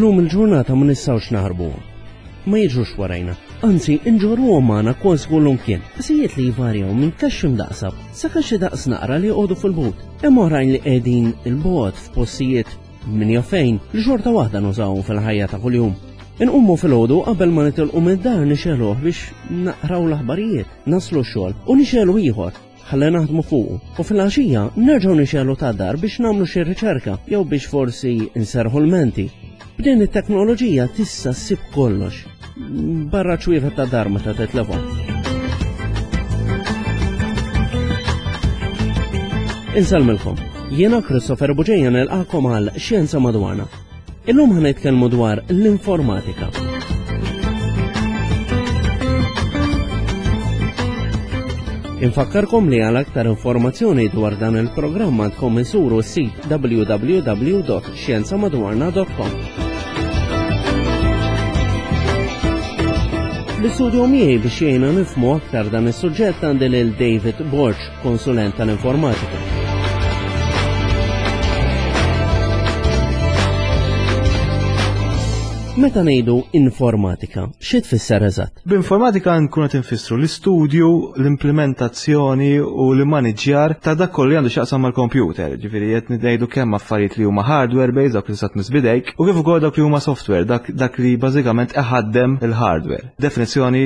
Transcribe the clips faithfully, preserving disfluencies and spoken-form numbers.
Illum il-ġurnata ma nistgħux naħarbuhom. Ma jiġrux warajna, anzi inġorruhom magħna kważi kullimkien. Piżijiet li jvarjaw minn kaxxi mdaqsa sa kaxxi daqs naqra li joqogħdu fil-but. Hemm oħrajn li qegħdin il-bogħod f'postijiet min jaf fejn li xorta waħda nużawhom fil-ħajja ta' kuljum. Inqumu filgħodu qabel ma nitilqu mid-dar nixegħluh biex naqraw l-aħbarijiet, naslu x-xogħol u nixegħlu ieħor ħalli naħdmu fuqu. U fil-għaxija nerġgħu nixegħlu ta' dar biex nagħmlu xi riċerka jew biex forsi nserħu l-menti. B'din it-teknoloġija tista' ssib kollox. Barra ċwievet ta' dar meta titlefhom. Insellmilkom. Jiena Christopher Buġeja nilqakom għal Xjenza Madwarna. Illum ħa nitkellmu dwar l-informatika. Infakkarkom li għal aktar informazzjoni dwar dan il-programm għandkom insuru s-sit w w w dot xjenza madwarna dot com. L-istudju miegħi biex jgħinna nifhmu aktar dan is-suġġett għandi lil David Borg, konsulent tal-informatika. Meta ngħidu informatika, xi tfisser eżatt? B'informatika nkunu qed infissru l-istudju, l-implementazzjoni u l-immaniġġjar ta' dak kollu li għandu x'jaqsam mal-computer. Ġifieri qed ngħidu kemm affarijiet li huma hardware based, dak li tista' tmiss b'idejk, u kif ukoll dak li huma software, dak, dak li bażikament iħaddem il-hardware. Definizzjoni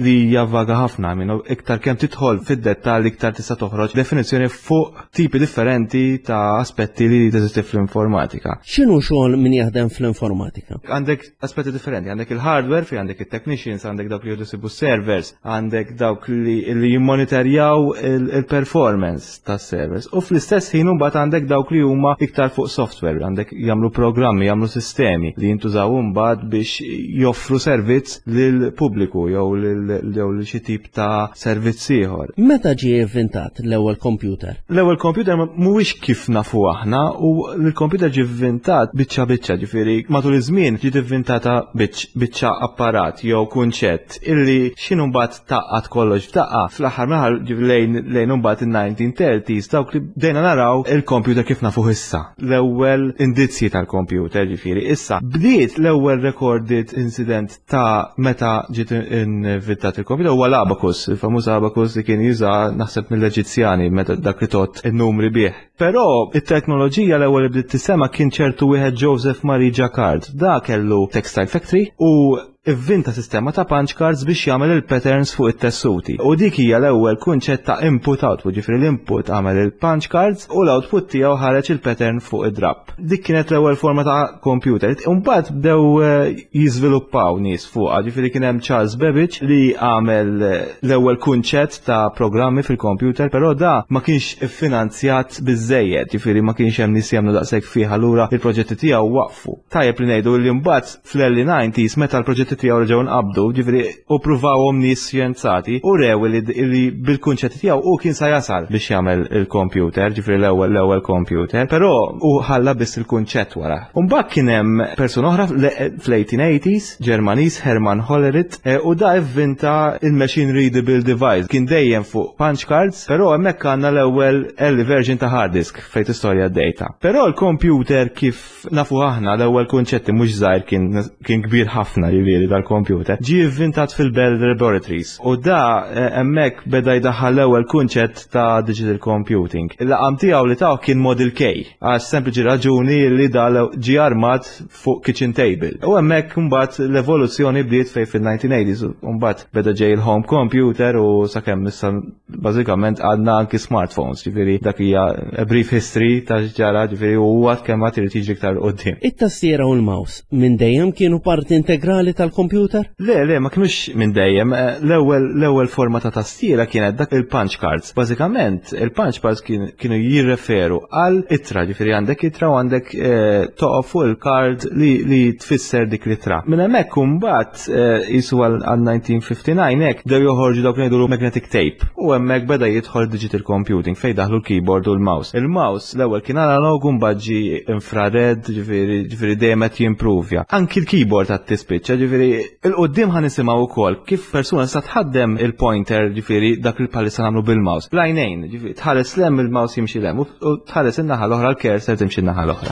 li hija vaga ħafna, minn iktar kemm tidħol fid-dettall iktar tista' toħroġ definizzjoni fuq tipi differenti ta' aspetti li teżisti fl-informatika. X'inhu xogħol min jaħdem fl-informatika? Għandek aspetti differenti, għandek il-hardware, fi għandek il-technicians, għandek dawk li jħoddu servers, għandek dawk li, li jimmonitorjaw il-, il-performance tas servers. U fl-istess ħin imbagħad għandek dawk li huma iktar fuq software, għandek jagħmlu programmi, jagħmlu sistemi li jintużaw imbagħad biex joffru servizz lil pubbliku jew lil, jew lil xi tip ta' servizz ieħor. Meta ġie ivvintat l-ewwel computer? L-ewwel computer mhuwiex kif nafu aħna, u l-computer ġie ivvintat biċċa biċċa, ġifieri matul iż-żmien ġiet ivvintata biċ-, biċċa apparat jew kunċett illi x'inhu mbagħad taqqat kollox f'daqqa. Fl-aħħar mill-aħħar ġifieri lejn, lejn imbagħad in-nineteen thirties dawk li bdejna naraw il-computer kif nafuh issa. L-ewwel indizji tal-computer ġifieri issa bdiet l-ewwel recorded incident ta' meta ġiet inventat il-computer huwa l-abacus, il-famuż abacus li kien juża naħseb mill-Eġizzjani meta dak li tot in-numri bih. Però it-teknoloġija l-ewwel li bdiet tisema kien ċertu wieħed Joseph Marie Jacquard. Da kellu textile factory u ivvinta sistema ta' punch cards biex jagħmel il-patterns fuq it-tessuti. U dik hija l-ewwel kunċett ta' input output, ġifieri l-input għamel il-punch cards u l-output tiegħu ħareġ il-pattern fuq id-drap. Dik kienet l-ewwel forma ta' computer. Imbagħad bdew, eh, jiżviluppaw nies fuqha, ġifieri kien hemm Charles Babbage li għamel, eh, l-ewwel kunċett ta' programmi fil-computer, però da ma kienx iffinanzjat biżżejjed, ġifieri ma kienx hemm nies jagħmlu daqshekk fih, allura il-proġetti tiegħu waqfu. Tajjeb li ngħidu li mbagħad fl-early nineties meta l-proġetti tiegħu reġgħu nqabdu, ġifieri u pruvawhom nies xjenzati u rew li, li bil-kunċetti tiegħu hu kien sa jasal biex jagħmel il-computer, ġifieri l-ewwel, l-ewwel computer, però hu ħalla biss il-kunċett wara. U mbagħad kien hemm persuna oħra fl-, fl-eighteen eighties, Ġermaniż Hermann Hollerith, eh, u da ivvinta il-machine readable device. Kien dejjem fuq punch cards, però hemmhekk għandna l-ewwel early version ta' hard disk fejn tistorja d-data. Però l-computer kif nafu aħna l-ewwel kunċetti mhux żgħir kien, kien kbir ħafna ġifieri dal-computer. Ġie ivvintat fil-Bell Laboratories u da, eh, hemmhekk beda jdaħħal l-ewwel kunċett ta' digital computing. Il-laqam tiegħu li taw kien Model K, għax sempliċi raġuni li da ġie armat fuq kitchen table. U hemmhekk imbagħad l-evoluzzjoni bdiet fejn fil-nineteen eighties, u mbagħad beda ġej il-home computer u sakemm issa bażikament għandna anki smartphones, ġifieri dak hija a brief history ta' x'ġara, ġifieri u għad kemm għad irid jiġri iktar quddiem. It-tastiera u l-mouse minn dejjem kienu parti integrali tal-computer? Le, le, ma kienux minn dejjem. Eh, l-ewwel, l-ewwel forma ta' tastiera kienet dak il-punch cards. Bażikament, il-punch cards kien, kienu jirreferu għal ittra, ġifieri għandek ittra u għandek, eh, toqgħod fuq il-card li, li tfisser dik l-ittra. Minn hemmhekk imbagħad, eh, jisu għal, għal nineteen fifty-nine hekk bdew joħorġu dawk li ngħidulu magnetic tape. U hemmhekk beda jidħol digital computing fejn daħlu l-keyboard u l-mouse. Il-mouse l-ewwel kien analog u mbagħad ġie infrared, ġifieri, ġifieri dejjem qed jimpruvja. Anki l-keyboard għad tispiċċa, ġifieri il-qudiem ħa nisimgħu wkoll kif persuna sa tħaddem il-pointer, ġifieri dak li bħalissa nagħmlu bil-mouse. Blajnejn, ġifieri tħares lem il-mouse jimxi lem u, u tħares in-naħa l-oħra l-cursor timxi n-naħa l-oħra.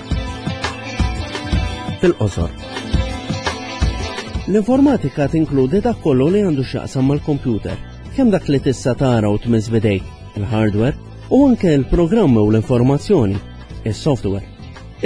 Fil-qosor. L-informatika tinkludi dak kollu li għandu x'jaqsam mal-computer, kemm dak li tista' tara u tmiss b'idejk, il-hardware, u anke il-programmi u l-informazzjoni, il-software.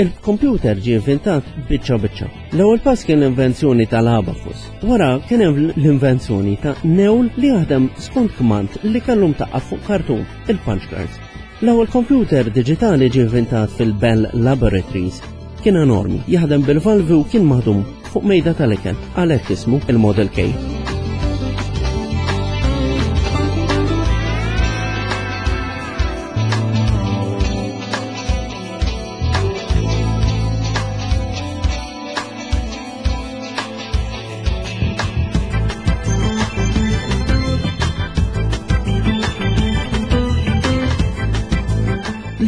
Il-computer ġie inventat biċċa biċċa. L-ewwel pass kien l-invenzjoni tal-abacus. Wara kien hemm l-invenzjoni ta' newl li jaħdem skont kmand li kellu mtaqqab fuq kartun, il-punch cards. L-ewwel computer diġitali ġie inventat fil-Bell Laboratories. Kien enormi, jaħdem bil-valvi u kien maħdum fuq mejda tal-ikel, għalhekk ismu il-Model K.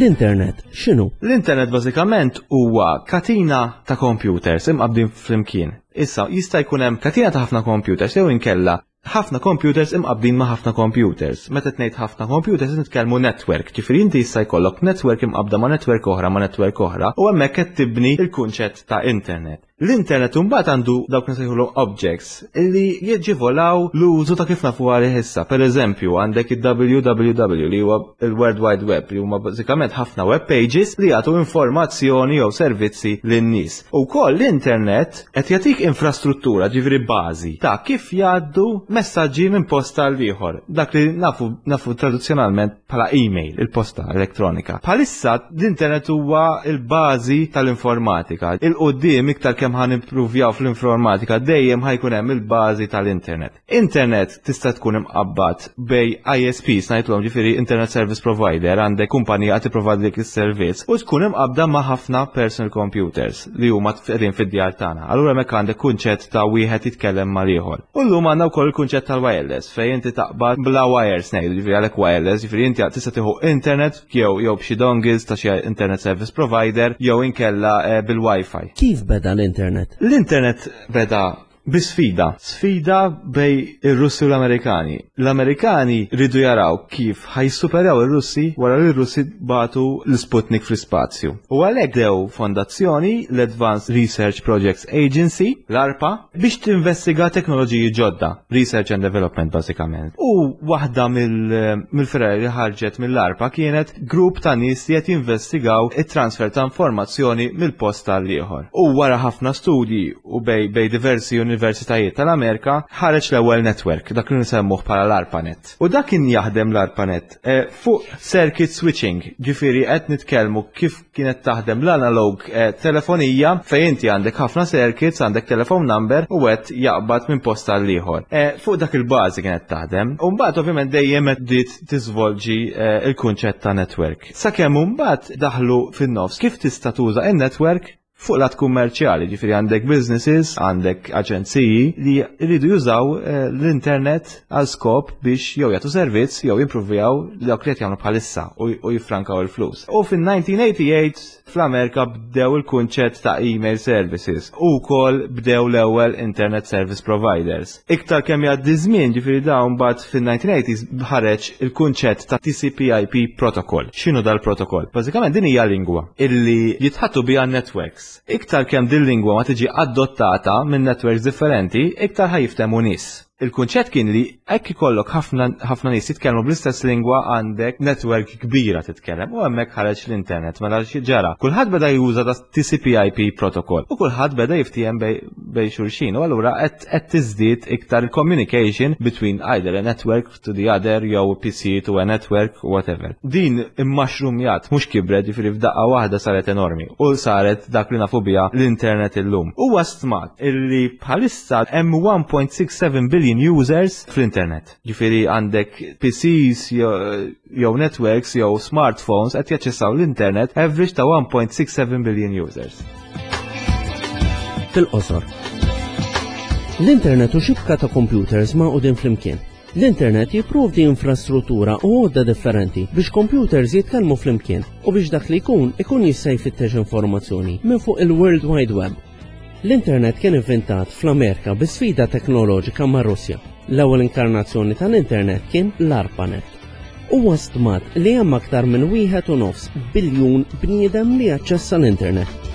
L-internet x'inhu? L-internet bażikament huwa katina ta' computers imqabbdin flimkien. Issa jista' jkun hemm katina ta' ħafna computers jew inkella ħafna computers imqabbdin ma' ħafna computers. Meta tgħid ħafna computers nitkellmu network, ġifieri inti jista' jkollok network imqabbda ma' network oħra ma' network oħra u hemmhekk qed tibni il-kunċett ta' internet. L-internet imbagħad għandu dawk nsejħulhom objects illi jiġivolaw l-użu ta' kif nafu għalih issa. Per eżempju, għandek il-W W W li huwa il-World Wide Web, li huma bażikament ħafna web pages li jagħtu informazzjoni jew servizzi lin-nies. Ukoll l-internet qed jagħtik infrastruttura, ġifieri bażi ta' kif jgħaddu messaġġi minn post għal ieħor. Dak li nafu nafu tradizzjonalment bħala email, il-posta elettronika. Bħalissa l-internet huwa il-bażi tal-informatika. Il-qudiem iktar kemm ħa nimpruvjaw fl-informatika, dejjem ħa jkun hemm il-bażi tal-internet. Internet tista' tkun imqabbad bejn I S Ps ngħidulhom, ġifieri Internet Service Provider, għandek kumpanija qed tipprovadlik is-servizz u tkun imqabbda ma' ħafna personal computers li huma qegħdin fid-djar tagħna. Allura hemmhekk għandek kunċett ta' wieħed jitkellem mal-ieħor. U llum għandna wkoll il-kunċett tal-wireless, fejn inti taqbad bla wires ngħidu, ġifieri għalhekk wireless, ġifieri inti tista' tieħu internet jew jew b'xi dongles ta' xi internet service provider jew inkella eh, bil-Wi-Fi. Kif beda l-internet? L-internet beda bi sfida. Sfida bejn ir-Russi u l-Amerikani. L-Amerikani ridu jaraw kif ħa jissuperaw ir-Russi wara li r-Russi bagħtu l-Sputnik fl-ispazju. U għalhekk dew fondazzjoni, l-Advanced Research Projects Agency, l-ARPA, biex tinvestiga teknoloġiji ġodda, research and development bażikament. U waħda mill-fergħa li ħarġet mill-ARPA kienet grupp ta' nies li qed jinvestigaw it-transfer ta' informazzjoni mill-post għal ieħor. U wara ħafna studji u bejn bejn diversi universitajiet tal-Amerika ħareġ l-ewwel network, dak li nsemmuh bħala l-ARPANET. U dak kien jaħdem l-ARPANET eh, fuq circuit switching, ġifieri qed nitkellmu kif kienet taħdem l-analog eh, telefonija, fejn inti għandek ħafna circuits, għandek telephone number u qed jaqbad minn post għal ieħor. Eh, fuq dak il-bażi kienet taħdem. U mbagħad ovvjament dejjem qed bdiet tiżvolġi eh, il-kunċett ta' network. Sakemm mbagħad daħlu fin-nofs kif tista' tuża in-network fuq lat kummerċjali, ġifieri għandek businesses, għandek aġenziji li jridu jużaw eh, l-internet għal skop biex jew jagħtu servizz jew jimpruvjaw dawk li qed jagħmlu bħalissa u u jiffrankaw il-flus. U fin-elf disa' mija u tmienja u tmenin fl-Amerika bdew il-kunċett ta' email services u wkoll bdew l-ewwel internet service providers. Iktar kemm jgħaddi żmien, ġifieri dawn mbagħad fin-elf disa' mija u tmeninat ħareġ il-kunċett ta' T C P I P protocol. X'inhu dal-protokoll? Bażikament din hija lingwa illi jitħaddtu biha networks. Iktar kemm din lingwa ma tiġi adottata minn networks differenti, iktar ħa jiftehmu nies. Il-kunċett kien li hekk ikollok ħafna ħafna nies jitkellmu bl-istess lingwa, għandek network kbira titkellem, u hemmhekk ħareġ l-internet. Mela xi ġara? Kulħadd beda juża da T C P I P protocol u kulħadd beda jiftiehem bejn bejn xulxin, u allura qed qed tiżdied iktar communication between either a network to the other jew P C to a network, whatever. Din immushroomjat, mhux kibret, ġifieri f'daqqa waħda saret enormi u saret dak li nafu biha l-internet illum. Huwa stmat illi bħalissa hemm one point six seven billion users fl-internet. Ġifieri għandek P Cs jew networks jew smartphones qed jaċċessaw l-internet average ta' one point six seven billion users. Fil-qosor. L-internet hu xibka ta' computers magħqudin flimkien. L-internet jipprovdi infrastruttura u għodda differenti biex computers jitkellmu flimkien u biex dak li jkun ikun jista' jfittex informazzjoni minn fuq il-World Wide Web. L-internet kien inventat fl-Amerika bi sfida teknoloġika ma' Russja. L-ewwel inkarnazzjoni tal-internet kien l-ARPANET. Huwa stmat li hemm aktar minn wieħed u nofs biljun bniedem li jaċċessa l-internet.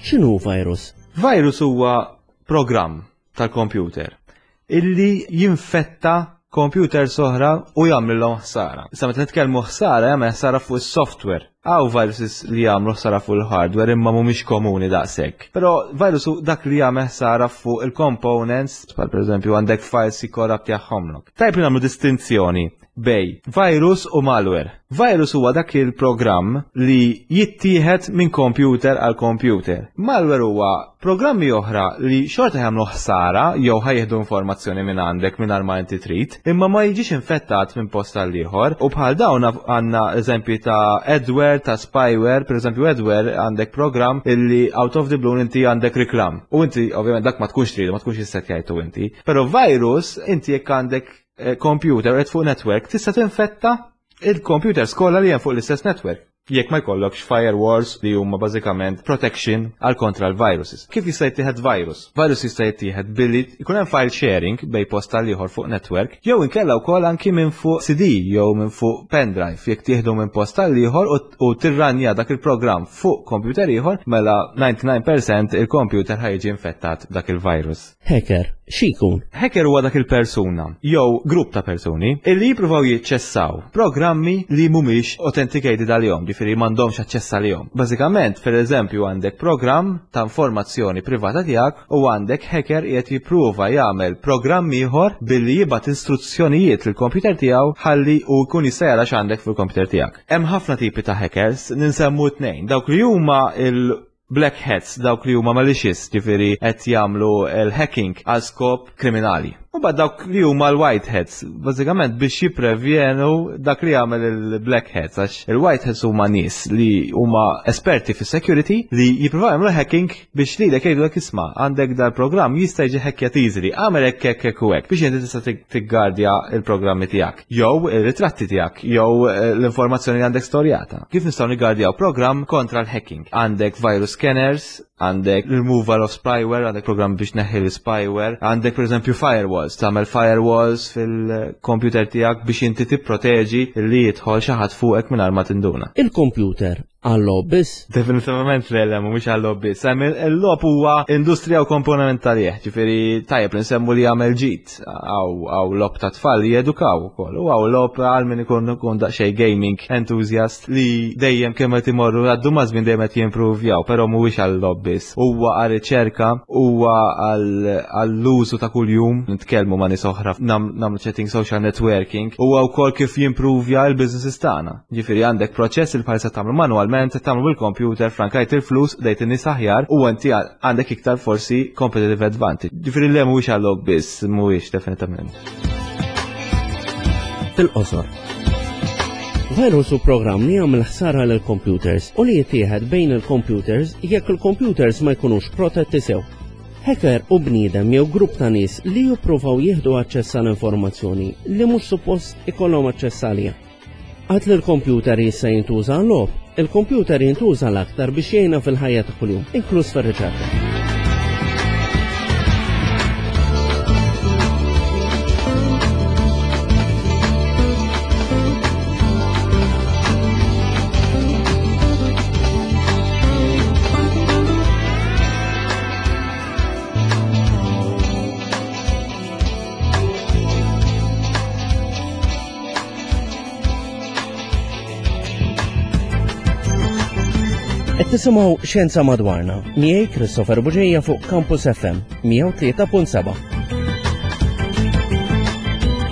X'inhu virus? Virus huwa programm tal-computer illi jinfetta computer oħra u jagħmlilhom ħsara. Issa meta nitkellmu ħsara jagħmel ħsara fuq is-software. Hawn viruses li jagħmlu ħsara fuq il-hardware imma mhumiex komuni daqshekk. Però virus hu dak li jagħmel ħsara fuq il-components, bħal pereżempju għandek files jikkorraptjahomlok. Tajb li nagħmlu distinzjoni bejn virus u malware. Virus huwa dak il-programm li jittieħed minn computer għal computer. Malware huwa programmi oħra li xorta jagħmlu ħsara jew ħa jieħdu informazzjoni minn għandek mingħajr ma inti trid, imma ma jiġix infettat minn post għal ieħor. U bħal dawn għandna eżempji ta' adware, ta' spyware, per eżempju adware għandek programm illi out of the blue inti għandek reklam. U inti ovvjament dak ma tkunx tridu, ma tkunx issettjajtu inti. Però virus inti jekk għandek eh, computer qed fuq network tista' tinfetta il-computers kollha li hemm fuq l-istess network. Jekk ma jkollokx firewalls li huma bażikament protection għal kontra l-viruses. Kif jista' jittieħed virus? Virus jista' jittieħed billi jkun hemm file sharing bejn post għal ieħor fuq network, jew inkella wkoll anki minn fuq C D jew minn fuq pendrive. Jekk tieħdu minn post għal ieħor u tirranja dak il-programm fuq computer ieħor, mela disgħa u disgħin fil-mija il-computer ħa jiġi infettat dak il-virus. Hacker, x'ikun? Hacker huwa dak il-persuna jew grupp ta' persuni illi jippruvaw jiċċessaw programmi li mhumiex authenticated għalihom, ġifieri m'għandhomx aċċess għalihom. Bażikament, per eżempju, għandek programm ta' informazzjoni privata tiegħek u għandek hacker qiegħed jippruva jagħmel programm ieħor billi jibgħat instruzzjonijiet lill-computer tiegħu ħalli u jkun jista' jara x'għandek fil-computer tiegħek. Hemm ħafna tipi ta' hackers, ninsemmu tnejn. Dawk li huma il black hats, dawk li huma malicious, ġifieri qed jagħmlu l-hacking għal skop kriminali. U mbagħad dawk li huma l-white hats, bażikament biex jipprevjenu dak li jagħmel il-black hats, għax il-white hats huma nies li huma esperti fis security li jippruvaw jagħmlu hacking biex lilek jgħidulek, "Isma', għandek dal-programm jista' jiġi hackjat easily, agħmel hekk, hekk, hekk u hekk" biex inti tista' tiggardja il-programmi tiegħek, jew ir-ritratti tiegħek, jew eh, l-informazzjoni li għandek storjata. Kif nistgħu niggardjaw programm kontra l-hacking? Għandek virus scanners, għandek removal of spyware, għandek program biex tneħħi l-spyware, għandek per eżempju firewalls, tagħmel firewalls fil-computer tiegħek biex inti tipproteġi li jidħol xi ħadd fuqek mingħajr ma tinduna. Il-computer għal-logħob biss? Definitivament le, le, mhumiex għal-logħob biss. Il-logħob huwa industrija u komponent talih, ġifieri tajjeb li nsemmu li jagħmel ġid hawn logħob ta' tfal li jedukaw ukoll. U hawn logħob għal min ikun ikun daqsxejn gaming enthusiast li dejjem kemm qed imorru għaddu maż-żmien dejjem qed jimprovjaw, però mhuwiex għal-logħob biss. Huwa għal riċerka, huwa għall-użu ta' kuljum, nitkellmu ma' nies oħra, nagħmlu chatting, social networking, huwa wkoll kif jimprovja l-businesses tagħna. Ġifieri għandek proċess il bħalissa tagħmlu manualment, tagħmlu bil-computer, frankajt il-flus, dejt in-nies aħjar u inti għandek iktar forsi competitive advantage. Ġifieri le, mhuwiex għal-logħob biss, mhuwiex definitivament. Fil-qosor. Virus hu programm li jagħmel ħsara lil computers u li jittieħed bejn il-computers jekk il-computers ma jkunux protetti sew. Hacker hu bniedem jew grupp ta' nies li jippruvaw jieħdu aċċess għal informazzjoni li mhux suppost ikollhom aċċess għaliha. Għad li l-computer jista' jintuża għal-logħob, il-computer jintuża l-aktar biex jgħinna fil-ħajja ta' kuljum, inkluż fir-riċerka. Qed tisimgħu Xjenza Madwarna, miegħi Christopher Bugeja fuq Campus F M mija u tlieta punt seba'.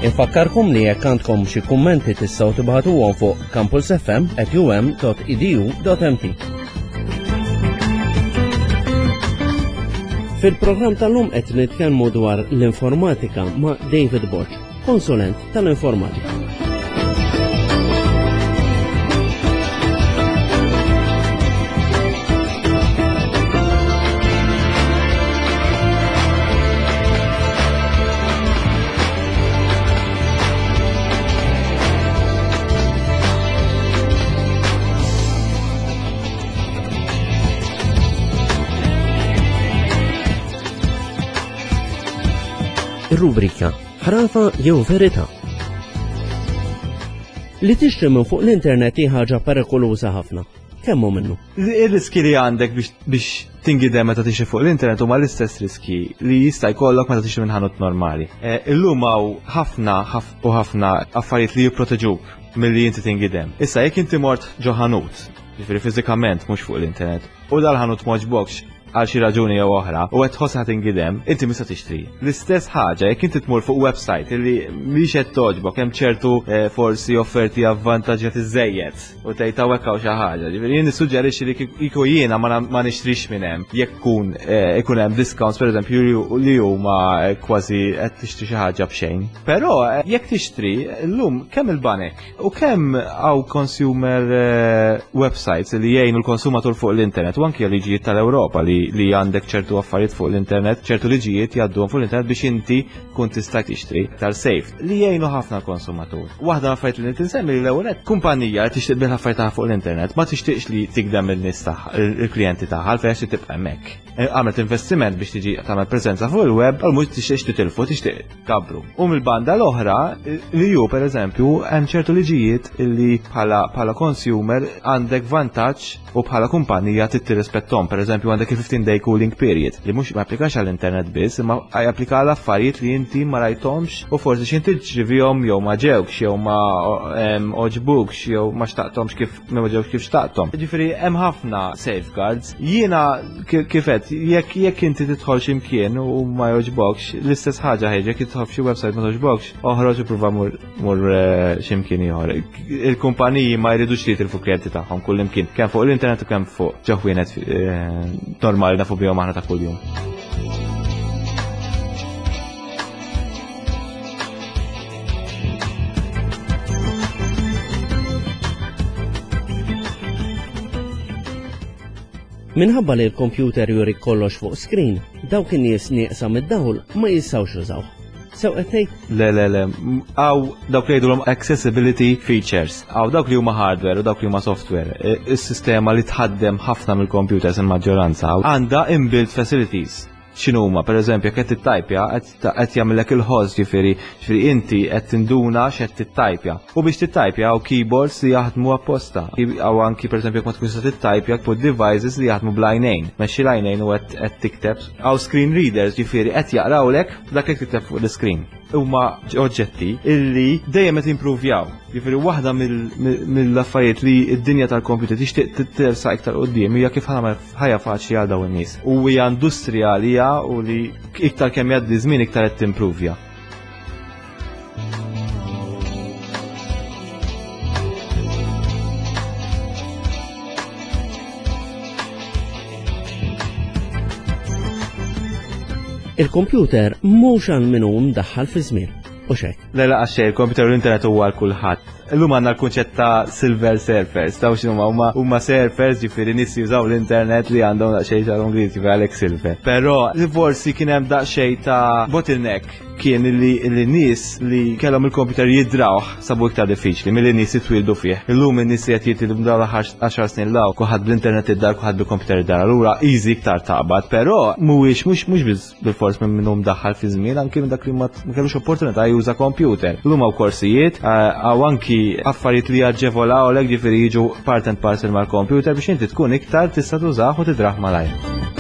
Infakkarkom li jekk għandkom xi kummenti tistgħu tibagħtuhom fuq campusfm at u m dot e d u dot m t. Fil-programm tal-lum qed nitkellmu dwar l-informatika ma' David Borg, konsulent tal-informatika. Ir-rubrika Ħrafa jew Verità. Li tixtri minn fuq l-internet hi ħaġa perikoluża ħafna. Kemm hu minnu? Ir-riski li għandek biex, biex tingidem meta tixtri fuq l-internet huma l-istess riski li jista' jkollok meta tixtri minn ħanut normali. Eh, illum hawn ħafna u ħafna affarijiet li jipproteġuk milli inti tingidem. Issa jekk inti mort ġo ħanut, jiġifieri fiżikament mhux fuq l-internet, u dal-ħanut m'għoġbokx għal xi raġuni jew oħra u qed tħossha tingidem, inti mista tixtri. L-istess ħaġa jekk inti tmur fuq website li mhix qed togħġbok hemm ċertu eh, forsi offerti avvantaġġjati żejjed u tgħid hawnhekk hawn xi ħaġa. Ġifieri jien nissuġġerixxi li kieku jiena ma nixtrix minn hemm jekk kun eh, ikun hemm discounts pereżempju li huma eh, kważi qed tixtri xi ħaġa b'xejn. Però jekk tixtri llum kemm il-banek u kemm hawn consumer websites li jgħinu l-konsumatur fuq l-internet u anke liġijiet tal-Ewropa li li għandek ċertu affarijiet fuq l-internet, ċertu liġijiet jgħadduhom fuq l-internet biex inti kun tista' tixtri iktar safe li jgħinu ħafna l-konsumatur. Waħda affarijiet li tinsemmi li l-ewwel kumpanija li tixtieq bil affarijiet fuq l-internet ma tixtieqx li tigdem il-nies tagħha, il-klijenti tagħha għalfejn għax tibqa' hemmhekk. E, għamlet investiment biex tiġi tagħmel preżenza fuq il-web, għal mhux tixtieqx titilfu, tixtieq kabru. U mill-banda l-oħra li ju pereżempju hemm ċertu liġijiet li bħala bħala consumer għandek vantaġġ u bħala kumpanija trid tirrispettom. Pereżempju għandek il-fifteen day cooling period li mhux ma applikax għall-internet biss, imma japplika għal affarijiet li inti ma rajthomx u forsi xi inti ġrivihom jew ma ġewkx jew ma oġbukx jew ma xtaqthomx kif ma ġewx kif xtaqthom. Ġifieri hemm ħafna safeguards. Jiena kif qed jekk jekk inti tidħol x'imkien u ma jogħġbokx, l-istess ħaġa ħeġ jekk tidħol f'xi website ma togħġbokx, oħroġ u prova mur mur x'imkien ieħor. Il-kumpaniji ma jridux li jitilfu klijenti tagħhom kull imkien, kemm fuq l-internet u kemm fuq ġo ħwienet normali nafu bihom aħna ta' kuljum. Minħabba li l-kompjuter juri kollox fuq screen, dawk in-nies nieqsa mid-dawl ma jistgħux jużawh. Sew qed tgħid? Le, le, le. Hawn dawk li jgħidulhom accessibility features. Hawn dawk li huma hardware u dawk li huma software. Is-sistema li tħaddem ħafna mill-computers il-maġġoranza għandha inbuilt facilities. X'inhuma, pereżempju, jekk qed tittajpja, qed jagħmellek il-ħoss, ġifieri, ġifieri inti qed tinduna x'qed tittajpja. U biex tittajpja hawn keyboards li jaħdmu apposta. Hawn anki pereżempju jekk ma tkunx tista' tittajpja put devices li jaħdmu bl-għajnejn. Mexxi l-għajnejn u qed tikteb. Hawn screen readers, ġifieri qed jaqrawlek dak li tikteb fuq l-screen. Huma oġġetti illi dejjem qed impruvjaw. Jiġifieri waħda mill-affarijiet li d-dinja tal-computer tixtieq tersa iktar quddiem hija kif ħajja faċli għal dawn in-nies. U hija industrija li hija u li iktar kemm jgħaddi żmien iktar qed timpruvja. Il-kompjuter mhux għal min hu mdaħħal fi żmien. U xek. Le, la, għax il-kompjuter u l-internet huwa għal kulħadd. Illum għandna l-kunċett ta' silver surfers, taw x'inhuma huma huma surfers, ġifieri nies jużaw l-internet li għandhom daqsxejn xagħarhom griż, ġifieri għalhekk silver. Però forsi kien hemm daqsxejn ta' bottleneck kien li li nies li kellhom il-kompjuter jidrawh sabu iktar diffiċli milli nies jitwieldu fih. Illum in-nies qed jitwieldu dawn l-aħħar għaxar snin law kulħadd bl-internet id-dar, kulħadd bil-kompjuter id-dar, allura easy iktar taqbad, però mhuwiex mhux mhux biss bil-fors minn minnu mdaħħal fi żmien, anki minn dak li ma kellux opportunità juża kompjuter. Illum hawn korsijiet, hawn anki affarijiet li jaġevolaw lek, ġifieri jiġu part and parcel mal-kompjuter biex inti tkun iktar tista' tużah u tidrah malajr.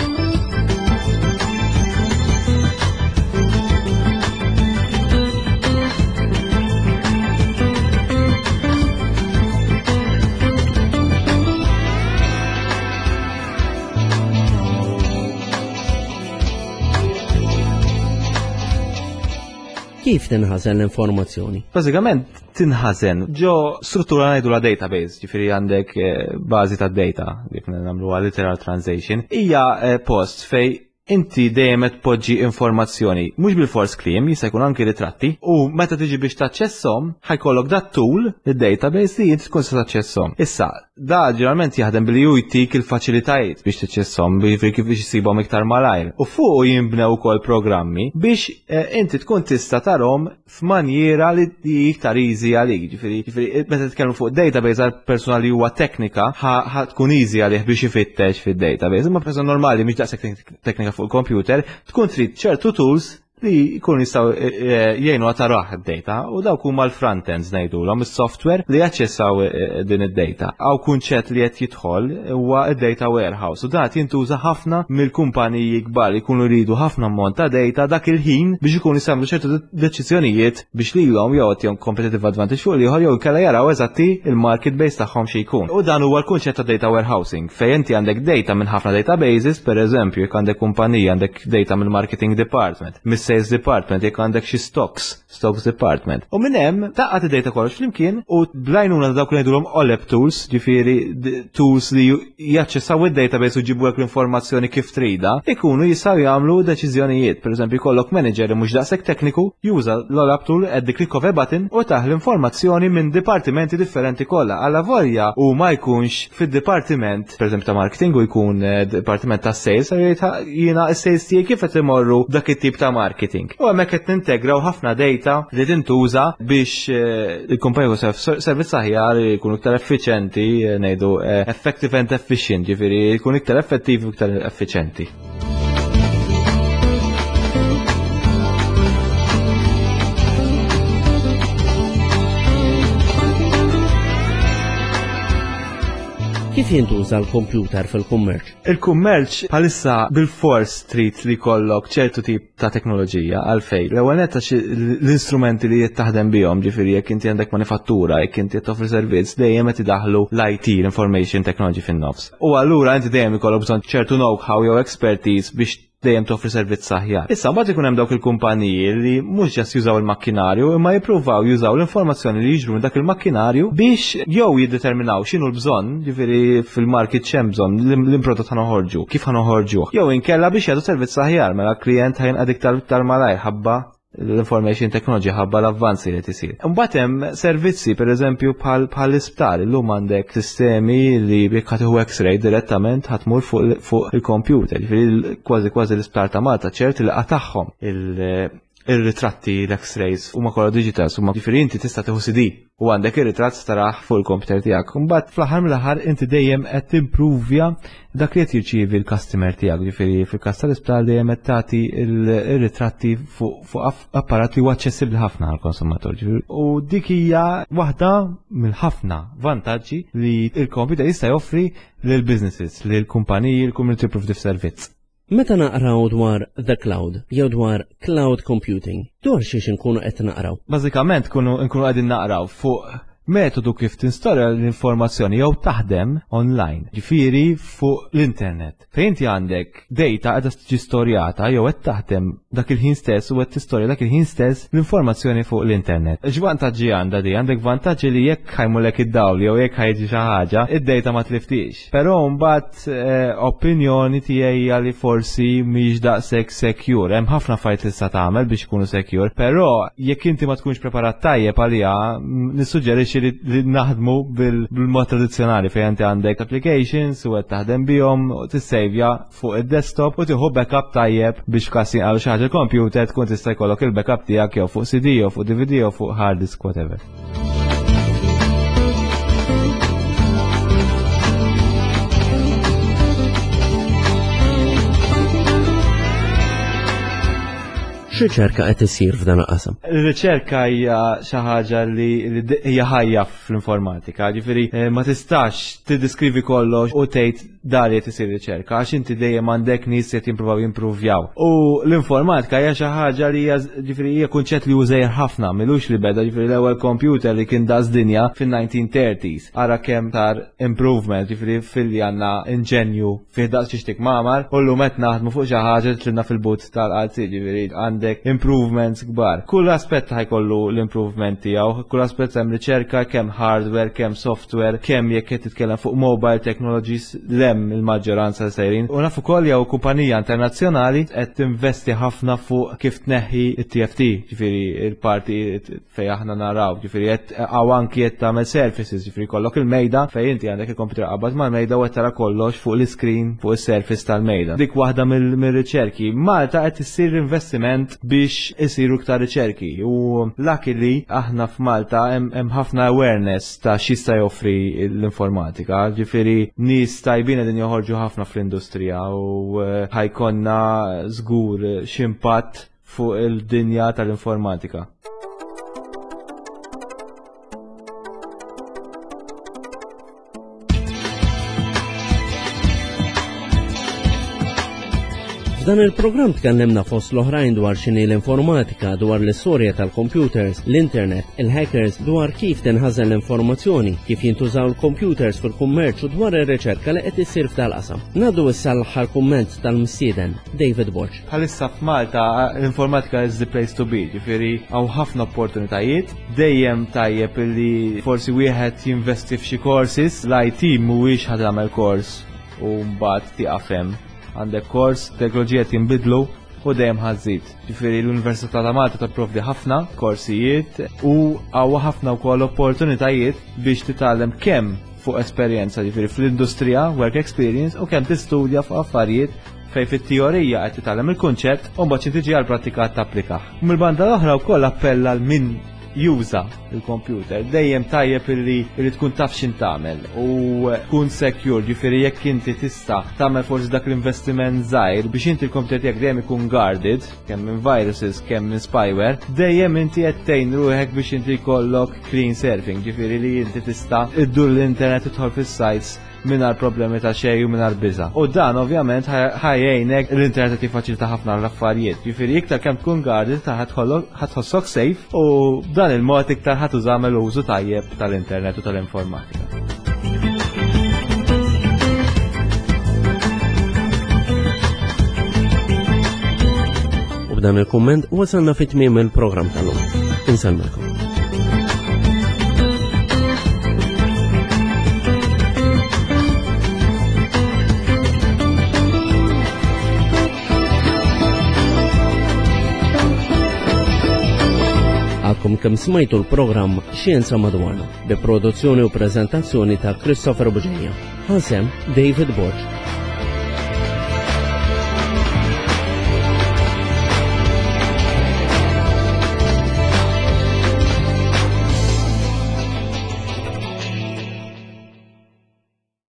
Kif tinħażen l-informazzjoni? Bażikament tinħażen ġo struttura ngħidu la database, ġifieri għandek, eh, bażi ta' data, kif nagħmluha literal translation, hija, eh, post fej inti dejjem qed tpoġġi informazzjoni, mhux bil-fors kliem, jista' jkun anki ritratti, u meta tiġi biex taċċesshom, ħajkollok dat tool, id-database li inti tkun se taċċesshom. Issa, da ġeneralment jaħdem billi hu jtik il-faċilitajiet biex taċċesshom, jiġifieri kif biex isibhom iktar malajr. U fuq jinbnew ukoll programmi biex, eh, inti tkun tista' tarhom f'manjiera li iktar easy għalik. Ġifieri, ġifieri meta titkellmu fuq database għal persuna li huwa teknika, ħa, ħa tkun easy għalih biex ifittex fid-database. Imma persuna normali mhix daqshekk teknika fuq il-computer, tkun trid ċertu tools li jkunu jistgħu jgħinu taraħ id-data u dawk huma l-front-ends ngħidulhom, is-software li jaċċessaw din id-data. Hawn kunċett li qed jidħol huwa id-data warehouse u dat jintuża ħafna mill-kumpaniji kbar li jkunu jridu ħafna ammont ta' data dak il-ħin biex ikunu jagħmlu ċertu deċiżjonijiet biex lilhom jew jagħtihom competitive advantage fuq l-ieħor jew inkella jaraw eżatti il-market base tagħhom xi jkun. U dan huwa l-kunċett ta' data warehousing fejn inti għandek data minn ħafna databases, per eżempju, jekk għandek kumpanija għandek data mill-marketing department, mis-sales department, jekk għandek xi stocks, stocks department. U minn hemm tgħaqqad id-data kollox flimkien u bl-għajnuna ta' dawk li ngħidulhom OLAP tools, ġifieri tools li jaċċessaw id-database u jġibu l-informazzjoni kif trida, ikunu jistgħu jagħmlu deċiżjonijiet. Per eżempju, jkollok manager li mhux daqshekk tekniku, juża l-OLAP tool at the click of a button u tah l-informazzjoni minn dipartimenti differenti kollha. Alla volja u ma jkunx fid-dipartiment, per eżempju ta' marketing, u jkun eh, dipartiment ta' sales, jiena s-sales tiegħi kif qed imorru dak it-tip ta' marketing. U hemmhekk qed nintegraw ħafna data li tintuża biex eh, il-kumpanija servizz aħjar, jkunu iktar effiċenti, eh, ngħidu effective and efficient, ġifieri jkun iktar effettivi u iktar effiċenti. Kif jintuża l-kompjuter fil-kummerċ? Il-kummerċ bħalissa bil-fors trid li jkollok ċertu tip ta' teknoloġija. Għalfejn? L-ewwel netta l-istrumenti li qed taħdem bihom, ġifieri jekk inti għandek manifattura, jekk inti qed toffri servizz, dejjem qed idaħlu l-I T, l-information technology fin-nofs. U allura inti dejjem ikollok bżonn ċertu know-how jew expertise biex dejjem toffri servizz aħjar. Issa mbagħad ikun hemm dawk il-kumpaniji li mhux just jużaw il-makkinarju imma jippruvaw jużaw l-informazzjoni li jiġru minn dak il-makkinarju biex jew jiddeterminaw x'inhu l-bżonn, ġifieri fil-market x'hemm bżonn, l-prodott ħa noħorġu, kif ħa noħorġuh, jew inkella biex jagħtu servizz aħjar, mela klient ħa jinqeda iktar iktar malajr ħabba l-information technology, ħabba l-avvanzi li tisir. Mbagħad hemm servizzi, pereżempju, bħal bħal isptar, illum għandek sistemi li jekk ħa tieħu X-ray direttament ħa tmur fuq fuq il-computer, ġifieri kważi kważi l-isptar ta' Malta ċert li qatagħhom il-ritratti, l-X-rays huma kollha digital, huma ġifieri inti tista' tieħu C D u għandek ir-ritratt taraħ fuq il-computer tiegħek. Imbagħad fl-aħħar mill-aħħar inti dejjem qed timpruvja dak li qed jirċievi l-customer tiegħek, ġifieri fil-każ tal-isptar dejjem qed tagħti il-ritratti fuq apparat li huwa aċċessibbli ħafna għall-konsumatur. U dik hija waħda mill-ħafna vantaġġi li il-computer jista' joffri lil businesses, lil kumpaniji, l-community provdi servizz. Meta naqraw dwar the cloud jew dwar cloud computing, dwar xiex inkunu qed naqraw? Bażikament kunu nkunu qegħdin naqraw fuq metodu kif tinstorja l-informazzjoni jew taħdem online, ġifieri fuq l-internet. Fejn inti għandek data qiegħda tiġi storjata jew qed taħdem dak il-ħin stess u qed tistorja dak il-ħin stess l-informazzjoni fuq l-internet. X'vantaġġi għandha di? Għandek vantaġġi li jekk ħa jmurlek id-dawl jew jekk ħa jiġi xi ħaġa, id-data ma tliftix. Però mbagħad eh, opinjoni tiegħi hija li forsi mhix daqshekk secure. Hemm ħafna affarijiet li tista' tagħmel biex ikunu secure, però jekk inti ma tkunx preparat tajjeb għaliha, nissuġġerixxi li, li naħdmu bil-mod tradizzjonali fejn inti għandek applications u qed taħdem bihom u tissejvja fuq id-desktop u tieħu backup tajjeb biex f'każ jinqalu xi ħaġa computer tkun tista' jkollok il-backup tiegħek jew fuq C D jew fuq D V D jew fuq hard disk, whatever. X'riċerka qed isir f'dan il-qasam? Ir-riċerka hija xi ħaġa li hija ħajja fl-informatika, ġifieri eh, ma tistax tiddiskrivi kollox u tgħid dar qed isir riċerka għax inti dejjem għandek nies qed jimpruvaw jimpruvjaw. U l-informatika hija xi ħaġa li hija, ġifieri, hija kunċett li żgħir ħafna, m'ilux li beda, ġifieri l-ewwel computer li kien daqs dinja fin-nineteen thirties. Ara kemm sar improvement, ġifieri filli għandna inġenju fih daqs xi mamar, u llum qed naħdmu fuq xi ħaġa tlilna fil-but tal-qalzi, ġifieri għandek improvements kbar. Kull aspett ħa jkollu l-improvement tiegħu, kull aspett hemm riċerka, kemm hardware, kemm software, kemm jekk qed titkellem fuq mobile technologies, hemm il-maġġoranza sejrin. U nafu ukoll jew kumpanija internazzjonali qed tinvesti ħafna fuq kif tneħħi it-T F T, ġifieri il-parti fejn aħna naraw, ġifieri qed hawn anki qed tagħmel surfaces, ġifieri kollok il-mejda fejn inti għandek il-computer qabad mal-mejda u qed tara kollox fuq l-screen fuq is-surface tal-mejda. Dik waħda mill-riċerki. Malta qed issir investiment biex isiru iktar riċerki u luckily aħna f'Malta hemm ħafna awareness ta' x'jista' joffri l-informatika, ġifieri nies tajbin qegħdin joħorġu ħafna fl-industrija u eh, ħa jkollna żgur x'impatt fuq il-dinja tal-informatika. F'dan il-programm tkellimna fost l-oħrajn dwar x'inhi l-informatika, dwar l-istorja tal-computers, l-internet, il-hackers, dwar kif tinħażen l-informazzjoni, kif jintużaw il-computers fil-kummerċ u dwar ir-riċerka li qed issir f'dal-qasam. Ngħaddu issa l-aħħar kumment tal-mistieden, David Borg. Bħalissa f'Malta l-informatika is the place to be, ġifieri hawn ħafna opportunitajiet, dejjem tajjeb li forsi wieħed jinvesti f'xi courses, l-I T mhuwiex ħa tagħmel kors u mbagħad tieqaf hemm. Għandek kors, teknoloġija tinbidlu u dejjem ħa żżid. Ġifieri l-Università ta' Malta tipprovdi ħafna korsijiet u hawn ħafna wkoll opportunitajiet biex titgħallem kemm fuq esperjenza, ġifieri fl-industrija, work experience, u kemm tistudja fuq affarijiet fej fit-teorija qed titgħallem il-kunċett u mbagħad tiġi għall-prattika tapplikah. Mill-banda l-oħra wkoll appella lil min juża il-computer. Dejjem tajjeb illi illi tkun taf x'int tagħmel u tkun secure, ġifieri jekk inti tista' tagħmel forsi dak l-investiment żgħir biex inti l-computer tiegħek dejjem ikun guarded, kemm minn viruses, kemm minn spyware, dejjem inti qed tgħin ruħek biex inti jkollok clean surfing, ġifieri li inti tista' iddur l-internet, tidħol fis-sites mingħajr problemi ta' xejn u mingħajr biża'. U dan ovvjament ħa jgħinek, l-internet qed jiffaċilita ħafna l-affarijiet. Ġifieri iktar kemm tkun guarded ta' ħa tħossok safe u b'dan il-mod iktar ħa tużamel użu tajjeb tal-internet u tal-informatika. U b'dan il-kumment wasalna fi tmiem il-programm tal-lum. Insellmilkom. Għadkom kemm smajtu l-programm Xjenza Madwarna bi produzzjoni u prezentazzjoni ta' Christopher Bugeja. Ħasem David Borg.